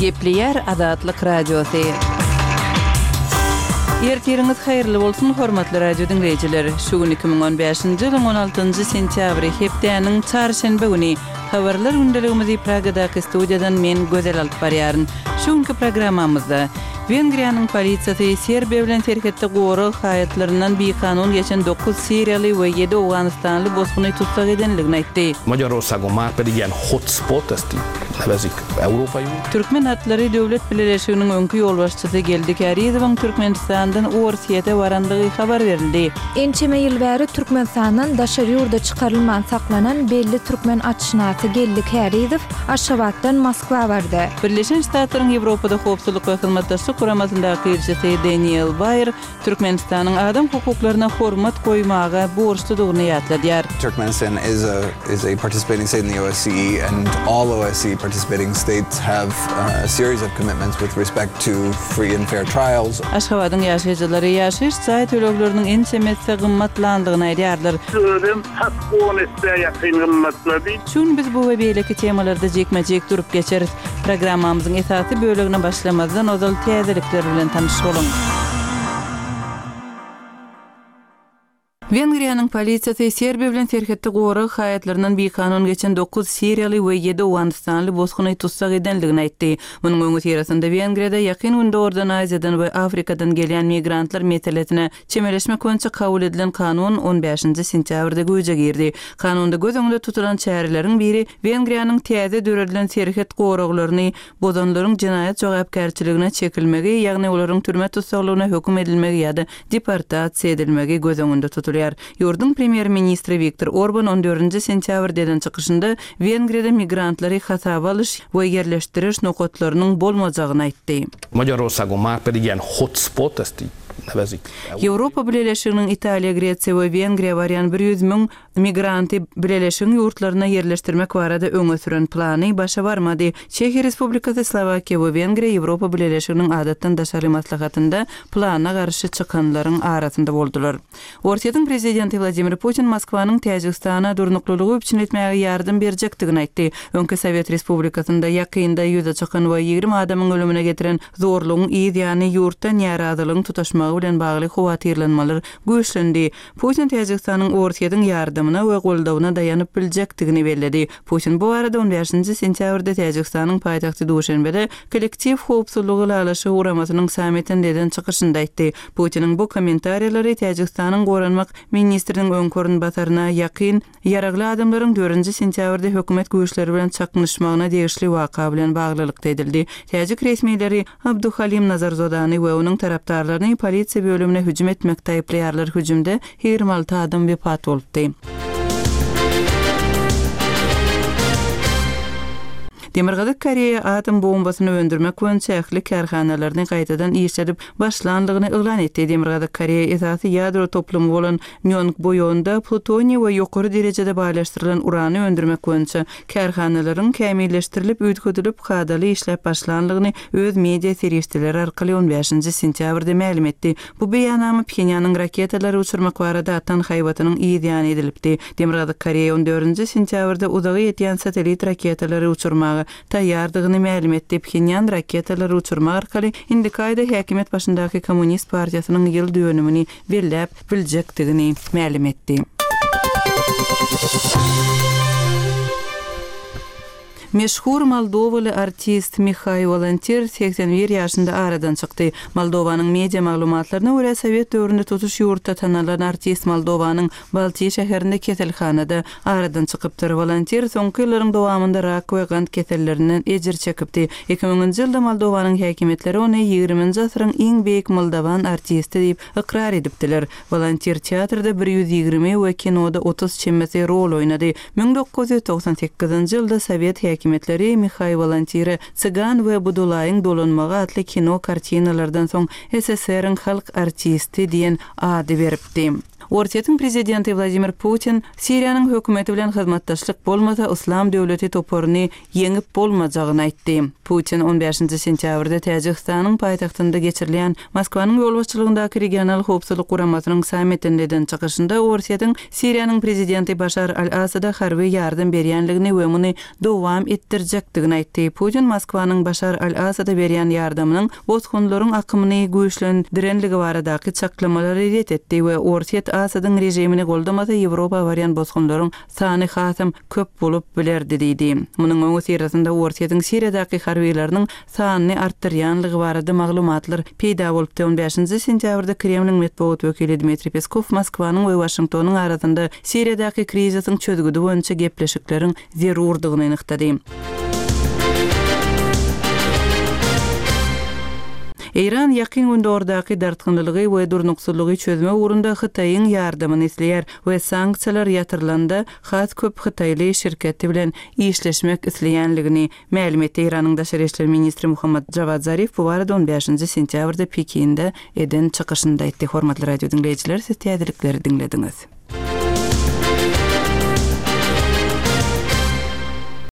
Gepleýär Azatlyk Radiosy. Ertiriňiz haýyrly bolsun, hormatly radio diňleýjiler! Şu gün 2015-nji ýylyň 16-njy sentýabry, hepdäniň çarşenbe güni. Habarlar gündeligimizi Pragadaky studiýadan men Gözel alyp barýaryn. Şu günki programmamyzda, Wengriýanyň polisiýasy Serbiýa bilen serhetde gorag haýatlaryndan bikanun geçen dokuz siriýaly we ýedi owganystanly bosguny tussag edendigini aýtdy. Magyarországon már pedig ilyen hotspot, ezt így nevezik európai. Türkmen atlary döwlet bileleşiginiň öňki ýolbaşçysy Geldi Kärizowyň Türkmenistandan Orsýete barandygy habar berildi. Ençeme ýyl bäri Türkmenistandan daşary ýurda çykarylman saklanan belli türkmen atşynasy Geldi Kärizow Aşgabatdan Moskwa bardy. Birleşen Ştatlaryň Ýewropada Howpsuzlyk we Hyzmatdaşlyk Guramasyndaky ilçisi Deniel Baýer Türkmenistanyň adam hukuklaryna hormat goýmaga borçludygyny ýatladýar. Turkmenistan is a is a participating state in the OSCE and all OSCE participating states have a series of commitments with respect to free and fair trials. Aşgabadyň ýaşaýjylary ýaşaýyş jaý tölegleriniň ençeme esse gymmatlandygyny aýdýarlar. Özem tas on essä ýakyn gymmatlady. Şu gün biz bu we beýleki temalarda jikme-jik durup geçeris. Programmamyzyň esasy bölegine başlamazdan ozal täzelikler bilen tanyş boluň. Wengriýanyň polisiýasy Serbiýa bilen serhetde gorag haýatlaryndan bikanun geçen dokuz siriýaly we ýedi owganystanly bosguny tussag edendigini aýtdy. Munuň öňüsyrasynda Wengriýada Ýakyn Gündogardan, Aziýadan we Afrikadan gelýän migrantlar meselesine çemeleşmek boýunça kabul edilen kanun on bäşinji sentýabrda güýje girdi. Kanunda göz öňünde tutulan çäreleriň biri Wengriýanyň täze döredilen serhet goraglaryny bozanlaryň jenaýat jogapkärçiligine çekilmegi, ýagny olaryň türme tussaglygyna höküm edilmegi ýa-da deportasiýa edilmegi göz öňünde tutulýar. Ýurduň premýer-ministri Wiktor Orban on dördünji sentýabrda eden çykyşynda Wengriýada migrantlary hasaba alyş we ýerleşdiriş nokatlarynyň bolmajagyny aýtdy. Magyarországon már pedig ilyen hotspot, ezt így nevezik. Ýewropa Bileleşiginiň Italiýa, Gresiýa we Wengriýa barýan bir 100 müň migranty Bileleşigiň ýurtlaryna ýerleşdirmek barada öňe süren plany başa barmady. Çehiýa Respublikasy, Slowakiýa we Wengriýa Ýewropa Bileleşiginiň adatdan daşary maslahatynda plana garşy çykanlaryň arasynda boldular. Orsýetiň prezidenti Wladimir Putin Moskwanyň Täjigistana durnuklylygy üpjün etmäge ýardam berjekdigini aýtdy. Öňki sowet respublikasynda ýakynda ýüze çykan we 20 adamyň ölümine getiren zorlugyň yz ýany ýurtda närazylygyň tutaşmagy bilen bagly howatyrlanmalar güýçlendi. Putin Täjigistanyň Orsýetiň ýardamyna we goldawyna daýanyp biljekdigini belledi. Putin bu barada on bäşinji sentýabrda Täjigistanyň paýtagty Duşenbede Kollektiw howpsuzlygy ylalaşygy guramasynyň sammitinde eden çykyşynda aýtdy. Putiniň bu kommentariýalary Täjigistanyň goranmak ministriniň öňki orunbasaryna ýakyn ýaragly adamlaryň dördünji sentýabrda hökümet güýçleri bilen çaknyşmagyna degişli waka bilen baglylykda edildi. Täjik resmileri Abduhalim Nazarzodany we onuň tarapdarlaryny polisiýa bölümine hüjüm etmekde aýyplaýarlar. Hüjümde 26 adam wepat bolupdy. Demirgazyk Koreýa atom bombasyny öndürmek boýunça ähli kärhanalaryny gaýtadan işledip başlandygyny yglan etdi. Demirgazyk Koreýa esasy ýadro toplumy bolan Nýongboýonda plutoniý we ýokary derejede baýlaşdyrylan urany öndürmek boýunça kärhanalaryň kämilleşdirilip, üýtgedilip, kadaly işläp başlandygyny öz media serişdeleri arkaly on bäşinji sentýabrda mälim etdi. Bu beýannama Phenýanyň raketalary uçurmak barada atan haýbatynyň yz ýany edilipdi. Demirgazyk Koreýa on dördünji sentýabrda uzaga ýetýän satellit raketalary uçurmaga taýýardygyny mälim etdi. Phenýan raketalary uçurmak arkaly indiki aýda häkimiýet başyndaky Kommunist partiýasynyň ýyl dönümini belläp biljekdigini mälim etdi. Meşhur moldowaly artist Mihaý Wolantir 81 ýaşynda aradan çykdy. Moldowanyň media maglumatlaryna görä, sowet döwründe tutuş ýurtda tanalan artist Moldowanyň Balti şäherinde keselhanada aradan çykypdyr. Wolantir soňky ýyllaryň dowamynda rak we gant kesellerinden ejir çekipdi. Iki müňünji ýylda Moldowanyň häkimiýetleri ony ýigriminji asyryň iň beýik moldowan artisti diýip ykrar edipdiler. Wolantir teatrda 120 we kinoda 30 çemesi rol oýnady. 1998-nji ýylda sowet häkimiýetleri Mihaý Wolantire Cygan we Budulaýyň dolanmagy atly kino kartinalardan soň SSR-iň halk artisti diýen ady beripdi. Orsýetiň prezidenti Wladimir Putin Siriýanyň hökümeti bilen hyzmatdaşlyk bolmasa Yslam döwleti toparyny ýeňip bolmajagyny aýtdy. Putin on bäşinji sentýabrda Täjigistanyň paýtagtynda geçirilýän Moskwanyň ýolbaşçylygyndaky Regional howpsuzlyk guramasynyň sammitinde eden çykyşynda Orsýetiň Siriýanyň prezidenti Başar al-Asada harby ýardam berýänligini we muny dowam etdirjekdigini aýtdy. Putin Moskwanyň Başar al-Asada berýän ýardamynyň bosgunlaryň akymyny güýçlendirenligi baradaky çaklamalary ret etdi we Orsýet Asadyň režimini goldamasa Ýewropa barýan bosgunlaryň sany hasam köp bolup bilerdi diýdi. Munuň öňüsyrasynda Orsýetiň Siriýadaky harbylarynyň sanyny artdyrýanlygy barada maglumatlar peýda bolupdy. On bäşinji sentýabrda Kremliň metbugat wekili Dmitriý Peskow Moskwanyň we Waşingtonyň arasynda Siriýadaky krizisiň çözgüdi boýunça gepleşikleriň zerurdygyny nygtady. Eýran Ýakyn Gündogardaky dartgynlylygy we durnuksyzlygy çözmek ugrunda Hytaýyň ýardamyny isleýär we sanksiýalar ýatyrylanda has köp hytaýly şirketi bilen işleşmek isleýänligini mälim etdi. Eýranyň daşary işler ministri Muhammad Jawad Zarif bu barada on bäşinji sentýabrda Pekinde eden çykyşynda aýtdy. Hormatly radio diňleýjiler, siz täzelikleri diňlediňiz.